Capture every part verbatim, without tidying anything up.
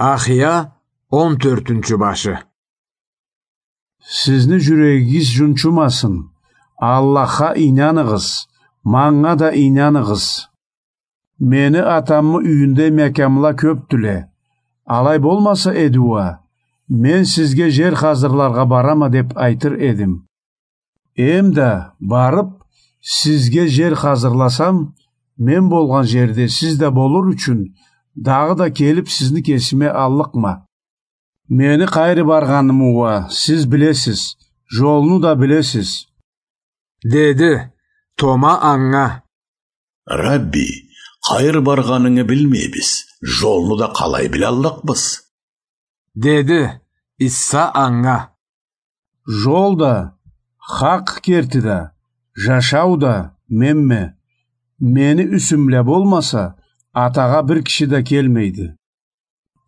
Ахия, он тёртюнчю башы. Сизни жюрегигиз жунчумасын. Аллахха ийнаныгъыз, манга да ийнаныгъыз. Мени атамы юйюнде мекямла кёпдюле. Алай болмаса эди уа, мен сизге жер хазырларгъа барама деп айтыр эдим. Эм да барып, сизге жер хазырласам, мен болгъан жерде сиз да болур ючюн, дагъыда келип сизни кесиме аллыкъма. Мени къайры баргъанымы уа сиз билесиз, жолну да билесиз. Деди. Тома анга: Рабби, къайры баргъанынгы билмейбиз, жолну да къалай билаллыкъбыз? Деди. Иса анга: Жол да, хакъ керти да, жашау да менме. Мени юсюм бла болмаса, атагъа бир киши да келмейди.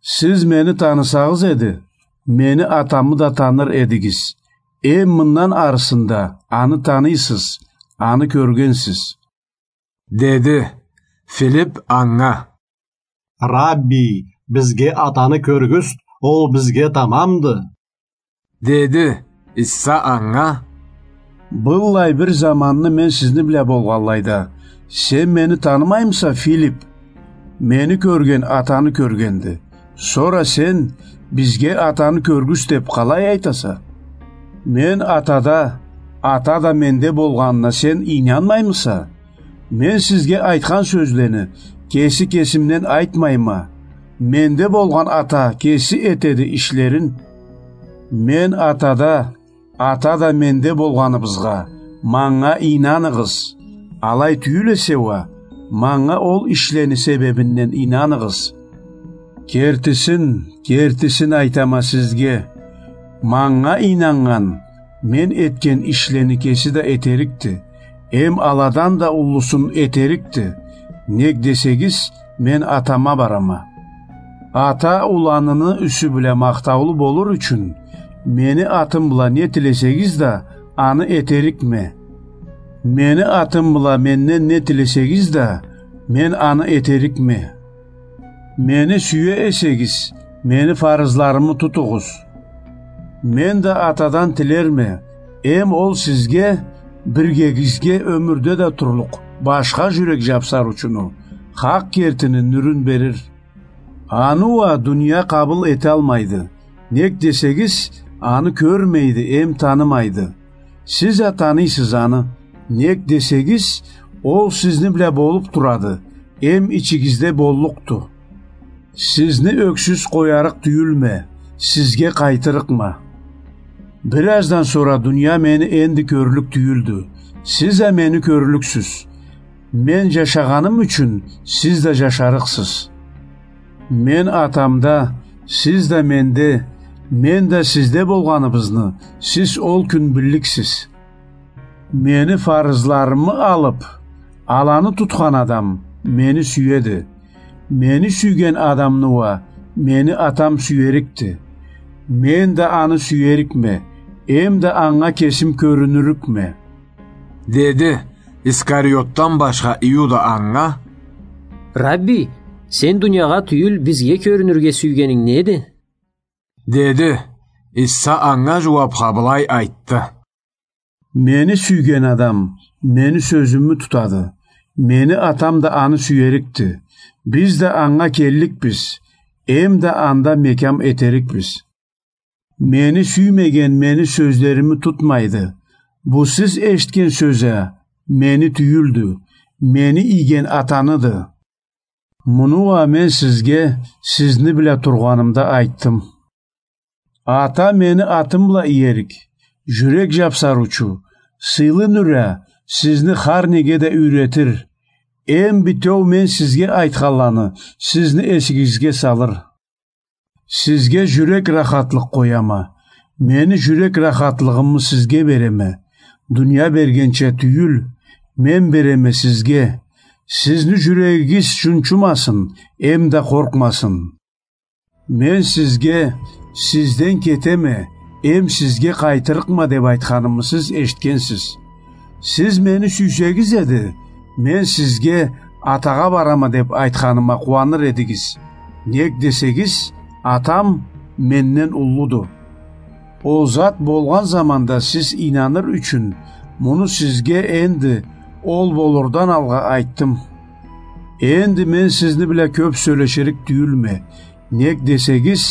Сиз мени танысагъыз эди, мени атамы да таныр эдигиз. Эм мындан арысында аны таныйсыз, аны кёргенсиз. Деди. Филип анга: Рабби, бизге атаны кёргюзт, ол бизге тамамды. Деди. Иса анга: Быллай бир заманны мен сизни бла болгъанлайда, сен мени танымаймыса, Филип? Мени кёрген атаны кёргенди. Сора сен: бизге атаны кёргюзт деп къалай айтаса? Мен атада, ата да менде болгъанына сен ийнанмаймыса? Мен сизге айтхан сёзлени кеси кесимден айтмайма. Менде болгъан ата кеси этеди ишлерин. Мен атада, ата да менде болгъаныбызгъа, манга ийнаныгъыз. Алай тюйюл эсе уа, манга ол ишлени себебинден ийнаныгъыз. Кертисин, кертисин айтама сизге. Манга ийнаннган мен этген ишлени кеси да этерикди. Эм аладан да уллусун этерикди. Нек десегиз, мен атама барама. Ата уланыны юсю бла махтаулу болур ючюн, мени атым бла не тилесегиз да, аны этерикме. Мени атым бла менден не тилесегиз да, мен аны этерикме. Мени сюе эсегиз, мени фарызларымы тутугъуз. Мен да атадан тилерме, эм ол сизге, биргегизге ёмюрде да турлукъ башха жюрек жапсар ючюн, хакъ кертини нюрюн берир. Аны уа дуния къабыл эталмайды. Нек десегиз, аны кёрмейди эм танымайды. Сиз а таныйсыз аны. Нек десегиз, ол сизни бла болуп турады, эм ичигизде боллукъду. Сизни ёксюз къоярыкъ тюйюлме, сизге къайтырыкъма. Бир аздан сора дуния мени энди кёрлюк тюйюлдю. Сиз а мени кёрлюксюз. Мен жашагъаным ючюн сиз да жашарыкъсыз. Мен атамда, сиз да менде, мен да сизде болгъаныбызны сиз ол кюн билликсиз. Мени фарызларымы алып, аланы тутхан адам мени сюеди. Мени сюйген адамны уа мени атам сюерикди. Мен да аны сюерикме, эм да анга кесим кёрюнюрюкме. Деди. Искариотдан башха Иуда анга: Рабби, сен дуниягъа тюйюл, бизге кёрюнюрге сюйгенинг неди? Деди. Иса анга жууапха былай айтды: Мени сюйген адам мени сёзюмю тутады. Мени атам да аны сюерикди. Биз да анга келликбиз, эм да анда мекям этерикбиз. Мени сюймеген мени сёзлерими тутмайды. Бу сиз эшитген сёз а мени тюйюлдю, мени ийген атаныды. Муну а мен сизге сизни бла тургъанымда айтдым. Ата мени атым бла иерик, жюрек жапсарыучу, сыйлы нюр а сизни хар неге да юйретир. Эм битеу мен сизге айтханланы сизни эсигизге салыр. Сизге жюрек рахатлыкъ къояма. Мени жюрек рахатлыгъымы сизге береме. Дуния бергенча тюйюл, мен береме сизге. Сизни жюрегигиз жунчумасын, эм да къоркъмасын. Мен сизге: «Сизден кетеме, эм сизге къайтырыкъма», — деп айтханымы сиз эшитгенсиз. Сиз мени сюйсегиз эди, мен сизге: «Атагъа барама», — деп айтханыма къууаныр эдигиз. Нек десегиз, Атам менден уллуду. Ол зат болгъан заманда сиз ийнаныр ючюн, муну сизге энди ол болурдан алгъа айтдым. Энди мен сизни бла кёп сёлеширик тюйюлме, нек десегиз,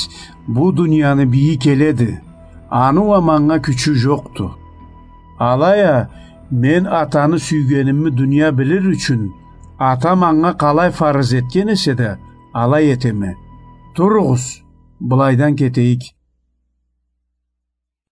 бу дунияны бийи келеди, аны уа манга кючю жокъду. Алай а мен Атаны сюйгенимни дуния билир ючюн, Ата манга къалай фарыз этген эсе да, алай этеме. Туругъуз, былайдан кетейик.